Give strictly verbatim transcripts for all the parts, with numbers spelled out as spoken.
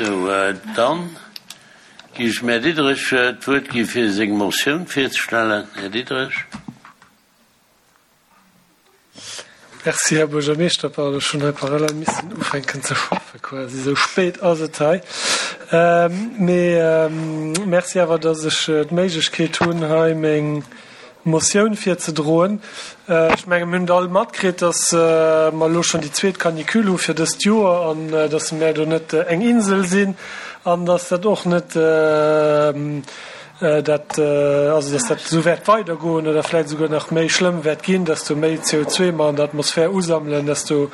Sou, dann gi ech dem Här Diderich d'Wuert gi fir seng Motioun virzestellen. Här Diderich. Merci, Här Buergermeeschter. Pardon, ech hunn hei parallel missen ufänken ze schaffe quasi, esou spéit ass et hei. Mee merci awer, dass ech d'Méiglechkeet hunn, hei meng Motioun virzedroen. Ech menge mir hunn et all matkritt, dass mer elo schonn déi zweet Canicule hu fir dëst Joer an dass mär do net eng Insel sinn an dass dat och net dat, also dass dat esou wäert weidergoen oder vläicht esouguer nach méi schlëmm wäert ginn, desto méi C O zwee mer an der Atmosphär usammelen, desto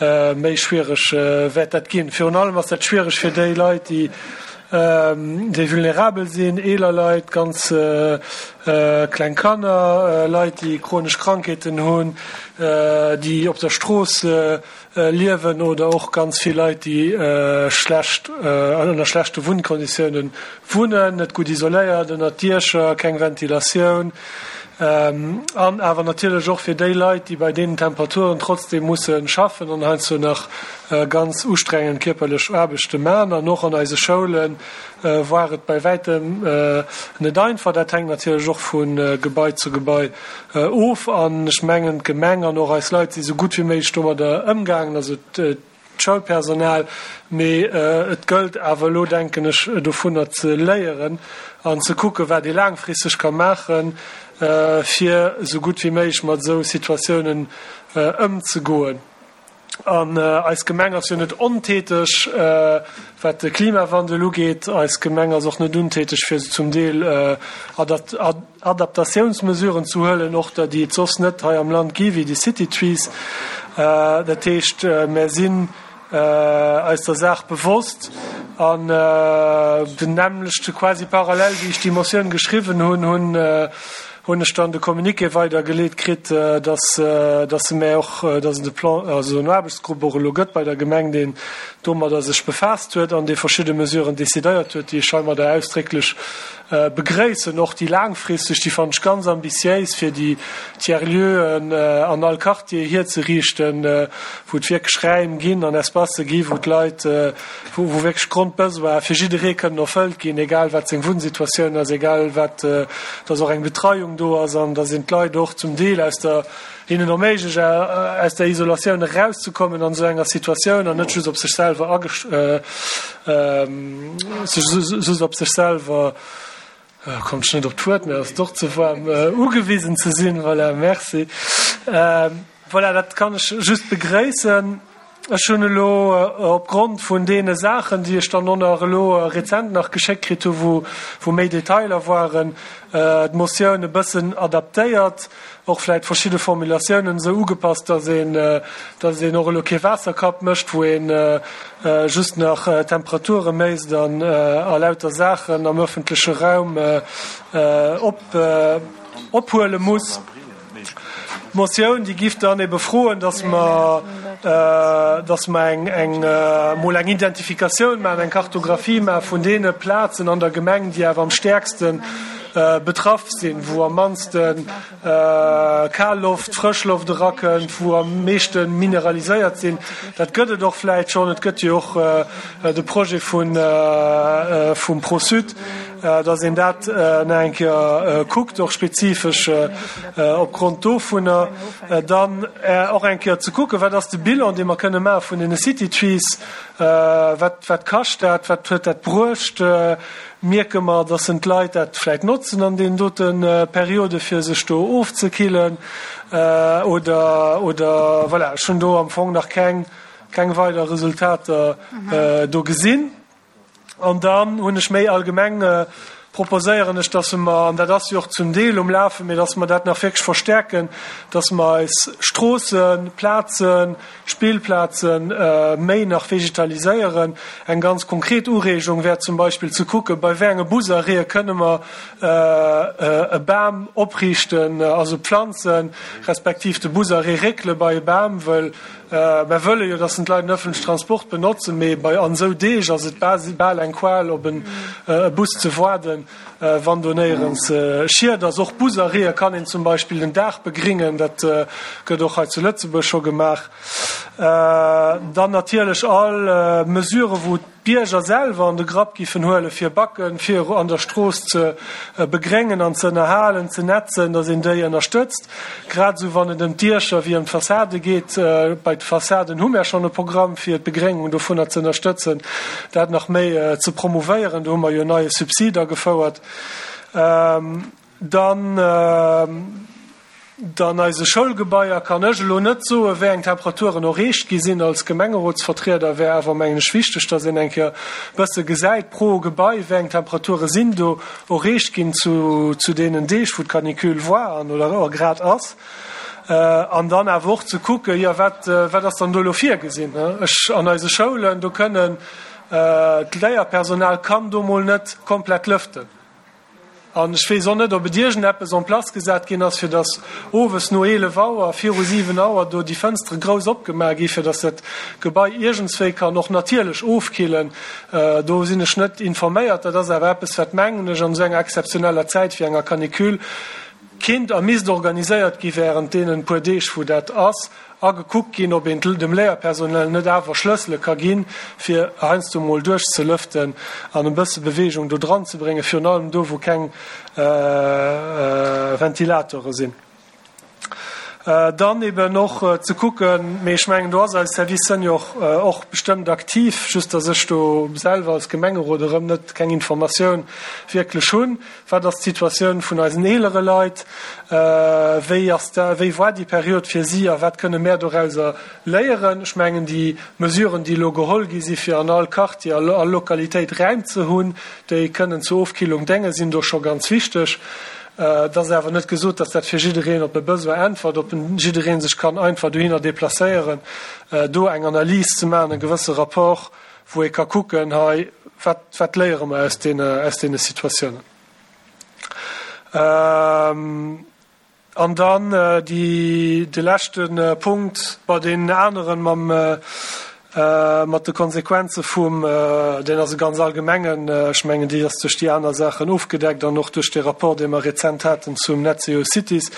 méi schwiereg wäert dat ginn. Virun allem ass dat schwiereg fir déi Leit, déi déi vulnerabel sinn, eeler Leit, ganz kleng Kanner, Leit, déi chronesch Krankheeten hunn, déi op der Strooss liewen oder och ganz vill Leit, déi schlecht, ënner schlechte Wunnkonditiounen wunnen, net gutt isoléiert, ënner Diecher, keng Ventilatioun. An awer natierlech och fir déi Leit, déi bei deenen Temperaturen trotzdem musse schaffen an heiansdo nach ganz ustrengend kierperlech Aarbechte maachen. An och an eise Schoule war et bei wäitem net einfach. Dat hänkt natierlech och vu Gebai zu Gebai of. An ech mengen, d'Gemeng an och eis Leit si sou gutt wéi méiglech domadder ëmgaangen, also d'Schoulpersonal. Mee et gëllt awer elo, denken ech, dovunner ze léieren an ze kucken, wat ee laangfristeg ka maachen, fir esou gutt wéi méiglech mat esou Situatiounen ëmzegoen. An eis Gemeng ass jo net ontäteg, wat de Klimawandel ugeet. Eis Gemeng ass och net untäteg, fir zum Deel Adaptatiounsmesuren ze huelen, och der, déi et soss net hei am Land gi wéi déi City Trees. Dat heescht, mär sinn eis der Saach bewosst an den nämmlechte quasi parallel, wéi ech déi Motioun geschriwwen hunn, hunn hunn ech dann de Communiqué weidergeleet kritt, dass dass se mär och, dass et e Plan, also en Aarbechtsgrupp och elo gëtt bei der Gemeng, deen domadder sech befaasst huet an dee verschidde Mesuren decidéiert huet, déi ech heimadder ausdrécklech begréissen. Och déi laangfristeg, déi fannen ech ganz ambitiéis, fir déi Tiers-lieuxen an all Quartier hierzeriichten, wou et wierklech Räim ginn an Espacë gi wou d'Leit, wou wou wierklech Grondbesoine fir jidderee kënnen erfëllt ginn, egal wat seng Wunnsituatioun ass, egal wat, dass och eng Betreiung do ass an dass een d'Leit och zum Deel aus der, hinnen erméiglecht, aus der Isolatioun erauszekommen an esou enger Situatioun an net just op sech selwer agesch, just op sech selwer, kommt ech net op d'Wuert, mä ass doch ze waarm, ugewisen ze sinn. Voilà, merci. Voilà, dat kann ech just begréissen. Ech hunn elo opgrond vun deene Saachen, déi ech dann och nach elo rezent nach geschéckt kritt hu, wou, wou méi Detailer waren, d'Motioun e bëssen adaptéiert, och vläicht verschidde Formulatiounen esou ugepasst, dass een, dass een och elo kee Waasserkapp mécht, wou ee just nach Temperature méisst an a lauter Saachen am öffentleche Raum op, ophuele muss. D'Motioun, déi giff dann ebe froen, dass mer, dass mer eng, eng, emol eng Identifikatioun maachen, eng Kartographie maache vun deene Plazen an der Gemeng, déi awer am stäerkste betraff sinn, wou am mannste kal Loft, frësch Loft erakënnt, wou am meeschte mineraliséiert sinn. Dat gëtt et och vläicht schonn. Et gëtt jo och de Projet vun, vum ProSud, dass een dat nach eng Kéier kuckt, och spezifesch opgrond dovunner. Dann och eng Kéier ze kucken, wat ass de Bilan, dee mer kënne maache vun deene City Trees, wat, wat kascht dat, wat huet dat bruecht, mierke mer, dass en d'Leit dat vläicht notzen an deenen dote Periode fir sech do ofzekillen oder, oder voilà, ech hunn do am Fong nach keng, keng weider Resultater do gesinn. An dann hunn ech méi allgemeng, proposéieren ech, dass mer, an dat ass jo och zum Deel um Lafen, mee dass mer dat nach wierklech verstärken, dass mer eis Stroossen, Plazen, Spillplazen méi nach vegetaliséieren. Eng ganz konkret Ureegung wär zum Beispill ze kucken, bei wéi enge Busarrêtë kënne mer e Bam opriichten, also planzen, respektiv de Busarrêt réckele bei e Bam, wëll mer wëlle jo, dass d'Leit den öffentlichen Transport benotzen, mee bei an esou Deeg ass et bal eng Qual, op e Bus ze waarden, wann do néierens Schied ass. Och Busarrêtë kann een zum Beispill den Daach begringen, dat gëtt och hei zu Lëtzebuerg scho gemaach. Dann natierlech all Mesure, wou d'Bierger selwer an de Grapp giffen huelen, fir Backen, fir an der Strooss ze begréngen an ze ënnerhalen, ze netzen, dass een déi ënnerstëtzt. Grad esou wann et ëm d'Diecher wéi ëm d'Fassade geet. Bei de Fassaden hu mär schonn e Programm, fir d'Begréngung dovunner ze ënnerstëtzen, dat nach méi ze promouvéieren. Do hu mer jo en neie Subsid agefouert. Dann Dann eise Schoulgebaier kann ech elo net soen, wéi eng Temperaturen erreecht gi sinn. Als Gemengerotsvertrieder wär awer, mengen ech, wichteg, dass een eng Kéier e bësse gesäit pro Gebai, wéi eng Temperature sinn do erreecht ginn zu zu deenen Deeg, wou d'Canicule war an oder grad ass. An dann awer och ze kucken, jo, wat wat ass dann do elo virgesinn? Ech an eise Schoulen, do kënnen d'Léierpersonal kann do mol net komplett lëften. An ech weess och net, ob et iergendeppes en place gesat ginn ass, fir datt owes no eelef Auer, viru siwen Auer do déi Fënstere grouss opgemaach gi fir datt dat Gebai iergendswéi kann och natierlech ofkillen. Do sinn ech net informéiert. Dat ass awer eppes, wat, mengen ech, an esou enger exzeptioneller Zäit wéi enger Canicule kinnt a misst organiséiert gi während deenen puer Deeg, wou dat ass, a gekuckt ginn, ob een dem Léierpersonal net awer Schlëssele ka ginn, fir heiansdo mol duerchzelëften an e bësse Beweegung do dran ze bréngen, virun allem do, wou keng Ventilatore sinn. Dann eben och ze kucken, mee ech mengen, do ass eis Service Senior och bestëmmt aktiv, just datt ech do selwer als Gemengerot erëm net keng Informatioun wierklech hunn, Wat ass d'Situatioun vun eisen eelere Leit? Wéi ass da, wéi war déi Period fir si a wat kënne mär dorauser léieren? Ech mengen, déi Mesuren, déi elo geholl gi si fir an all Quartier, all Lokalitéit Räim ze hunn, déi kënnen zur Ofkillung déngen, sinn do scho ganz wichteg. Et ass awer net gesot, datt dat fir jiddereen op e Besoin äntwert, ob jidderee sech kann einfach dohinner deplacéieren, do eng Analys ze maachen, e gewësse Rapport, wou ee ka kucken, hei, wat, wat léiere mer aus deene, aus deene Situatiounen. An dann déi, de leschte Punkt, bei deenen aneren mam, mat de Konsequenze vum, deen ass e ganz allgemengen, ech mengen, déi ass duerch déi aner Saachen ofgedeckt an och duerch dee Rapport, dee mer rezent haten zum Net Zero Cities.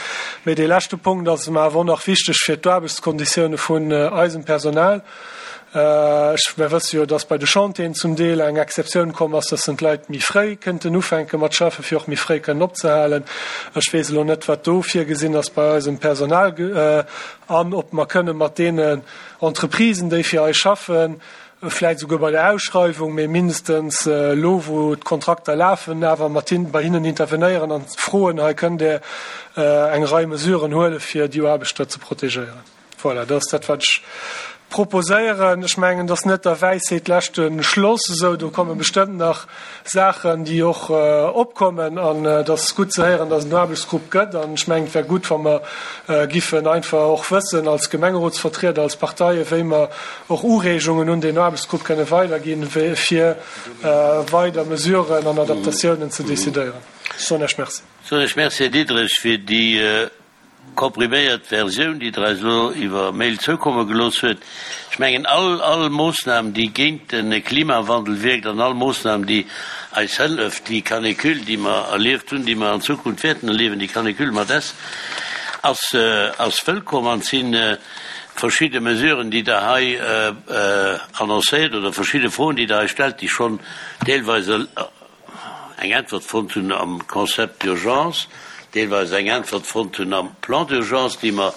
Mee dee leschte Punkt ass mer awer och nach wichteg fir d'Aarbechtskonditioune vun eisem Personal. Ech, mer wësse jo, dass bei de Chantieren zum Deel eng Exceptioun komm ass, dass dann d'Leit méi fréi kënnten ufänke mat schaffen, fir och méi fréi kënnen opzehalen. Ech weess elo net, wat do virgesinn ass bei eisem Personal an ob mer kënne mat deenen Entreprisen, déi fir eis schaffen, vläicht esouguer bei der Ausschreiwung, mee mindestens elo, wou d'Kontrakter lafen, awer mat hin, bei hinnen intervenéieren an froen, hei kënnt Der eng Rei Mesuren huelen, fir déi Aarbechter ze protegéieren. Voilà, dat ass dat, wat ech proposéieren. Ech mengen, et ass net der Wäisheet leschte Schloss esou. Do komme bestëmmt nach Saachen, déi och opkommen. An et ass gutt ze héieren, dass et en Aarbechtsgrupp gëtt. An ech mengen, et wär gutt, wa mer giffen einfach och wëssen als Gemengerotsvertrieder, als Parteien, wéi mer och Ureegungen un deen Aarbechtsgrupp kënne weiderginn, fir weider Mesuren an Adaptatiounen ze decidéieren. Ech soen Iech Merci. Soen Iech Merci, Här Diderich, fir déi kompriméiert Versioun, déi Der eis elo iwwer Mail zoukomme gelooss huet. Ech mengen, all, all Moossnam, déi géint de Klimawandel wierkt, an all Moossnam, déi eis hëlleft, déi Canicule, déi mer erlieft hunn, déi mer an Zukunft wäerten erliewen, déi Canicule mat s, ass, ass wëllkomm. An et si verschidde Mesuren, déi Der hei annoncéiert, oder verschidde Froen, déi Der hei stellt, déi schonn deelweis eng Äntwert fonnt hunn am Concept d'urgence, deelweis eng Äntwert fonnt hunn am Plan d'urgence, déi mer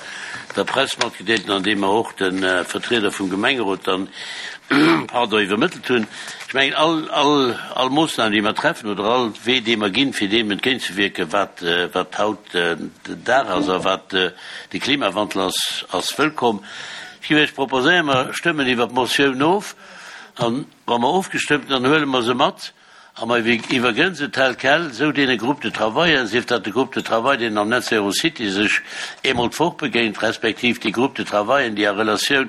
der Press matgedeelt hunn an déi mer och de Vertrieder vum Gemengerot dann, pardon, iwwermëttelt hunn. Ech mengen, all, all, all Moossnam, déi mer treffen, oder all Wee, dee mer ginn, fir deem entgéintzewierken, wat, wat haut den Dag ass a wat de Klimawandel ass, ass wëllkomm. Ech géif Iech proposéieren, mer stëmmen iwwert d'Motioun of, an wa mer ofgestëmmt hunn, dann huele mer se mat A mer iwwergënn se tel quel esou deene Groupes de travaillen, sief dat de Groupe de travail, deen am Net Zero City sech eemol d'Woch begéint, respektiv déi Groupes de travaillen, déi a Relatioun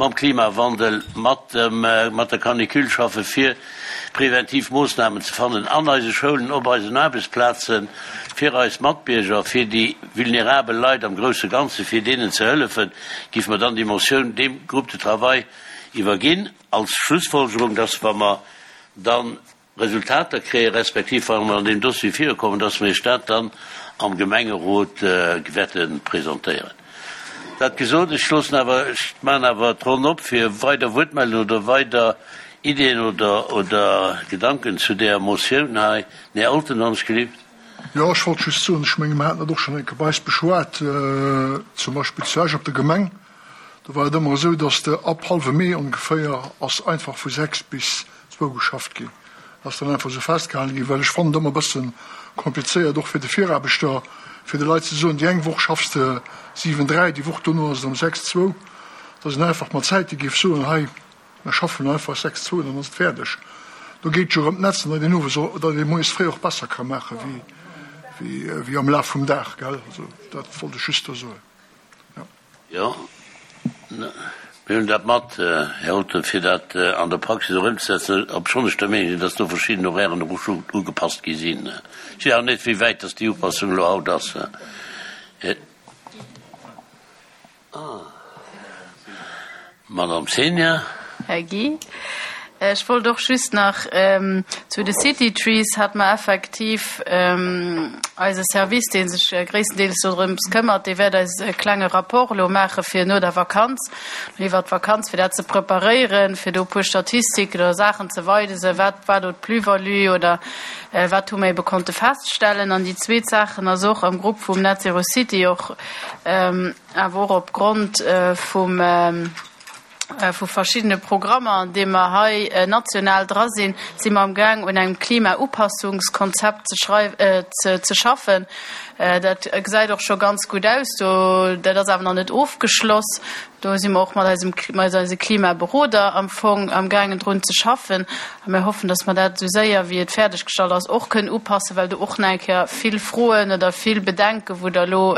mam Klimawandel, mat dem, mat der Canicule schaffen, fir preventiv Moossnamen ze fannen an eise Schoulen, op eisen Aarbechtsplazen, fir eis Matbierger, fir déi vulnerabel Leit am grousse Ganze, fir deenen ze hëllefen, géife mer dann déi Motioun deem Groupe de travail iwwerginn als Schlussfolgerung, dass, wa mer dann Resultater kréien, respektiv wa mer an deem Dossier virukommen, dass mer Iech dat dann am Gemengerot wäerte presentéieren. Dat gesot, ech loossen awer, ech maachen awer d'Ronn op fir weider Wuertmeldungen oder weider Iddien oder, oder Gedanken zu där Motioun hei? Den Här Olten, wann ech gelift. Jo, ech wollt just soen, ech menge mer haten dat och schonn eng Kéier bei eis beschwat, zum Beispill zu Esch op der Gemeng, do war et ëmmer esou, datt de ab hallwem Mee ongeféier ass einfach vu sechs bis zwou geschafft ginn. Dat ass dann einfach esou festgehalen ginn, well ech fannen et ëmmer e bësse komplizéiert, och fir de Viraarbechter, fir de Leit ze soen, déi eng Woch schaffs de siwen, dräi, déi Woch dono ass et erëm sechs, zwou, datt een einfach mat Zäite géif soen, hei, mer schaffen einfach sechs, zwou, dann ass et fäerdeg. Do geet jo erëm d'Netz an datt een owes och, datt ee moies fréi och besser ka maache wéi, wéi, wéi am Laf vum Dag, gell. Also dat wollt ech just do soen, jo. Jo, mir huelen dat mat, Här Olten, fir dat an der Praxis och ëmzesetzen, obschonn ech der Meenung sinn, dass do verschidden Horairen och scho ugepasst gi sinn. Ech weess awer net, wéi wäit dass déi Upassung elo haut ass. Madame Senior. Här Guy, ech wollt och just nach zu de City Trees hat mer effektiv eise Service, dee sech gréisstendeels dorëms këmmert, dee wäert eis e klenge Rapport elo maache fir no der Vakanz, iwwert d'Vakanz, fir dat ze preparéieren, fir do e puer Statistiken oder Saachen ze weisen, wat war do d'Plus-value oder wat hu mer ebe konnte feststellen. An déi zweet Saachen ass och am Grupp vum Net Zero City och, awer och opgrond vum, vu verschiddene Programmer, an deem mer hei national dra sinn, si mer amgaang un engem Klimaupassungskonzept ze schrei ze schaffen. Dat gesäit och scho ganz gutt aus. Do, dat ass awer nach net ofgeschloss. Do si mer och mat eisem, mat eise Klimaberoder am Fong amgaangen drun ze schaffen. A mir hoffen, dass mer dat esou séier wéi et fäerdeggestallt ass och kënnen upassen, well do och nach eng Kéier vill Froen oder vill Bedenken, wou Der elo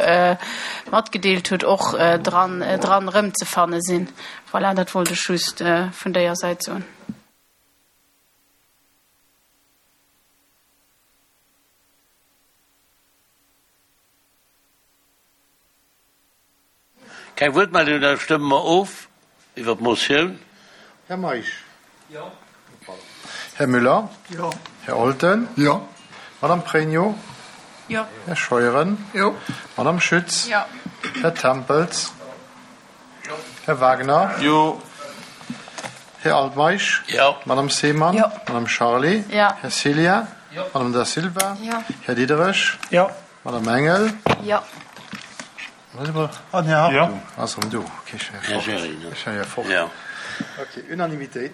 matgedeelt hutt, och dran, dran erëmzefanne sinn. Voilà, dat wollt ech just vun déier Säit soen. Keng Wuertmeldung, da stëmme mer of iwwer d'Motioun. Här Meisch? Jo. Här Müller? Jo. Här Olten? Jo. Madame Pregno? Jo. Här Scheuren? Jo. Madame Schütz? Jo. Här Tempels? Här Wagner? Jo. Här Altmeisch? Jo. Madame Seemann? Jo. Madame Charlé? Jo. Här Cillien? Jo. Madame Da Silva? Jo. Här Diderich? Jo. Madame Engel? Jo. Ah, den Här Hartung ass erëm do. Okay, ech war Här fort. Gering, ne? Ech war jo fort. Jo. Okay, Unanimitéit.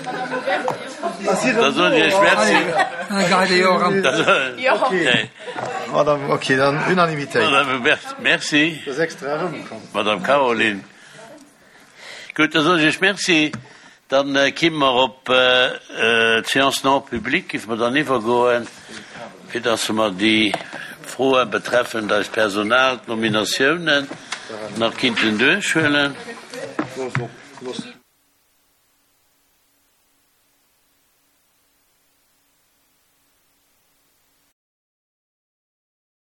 Da soen ech Iech Merci. Okay, Madame, okay, dann Unanimitéit. Madame Hubertz, merci. Du ass extra erëmkomm. Madame Caroline. Gutt, da soen ech Iech Merci. Dann kimme mer op d'Séance non publique, géife mer dann iwwergoen, fir dass mer déi Froe betreffend eist Personal, d'Nominatiounen nach kinnten duerchhuelen.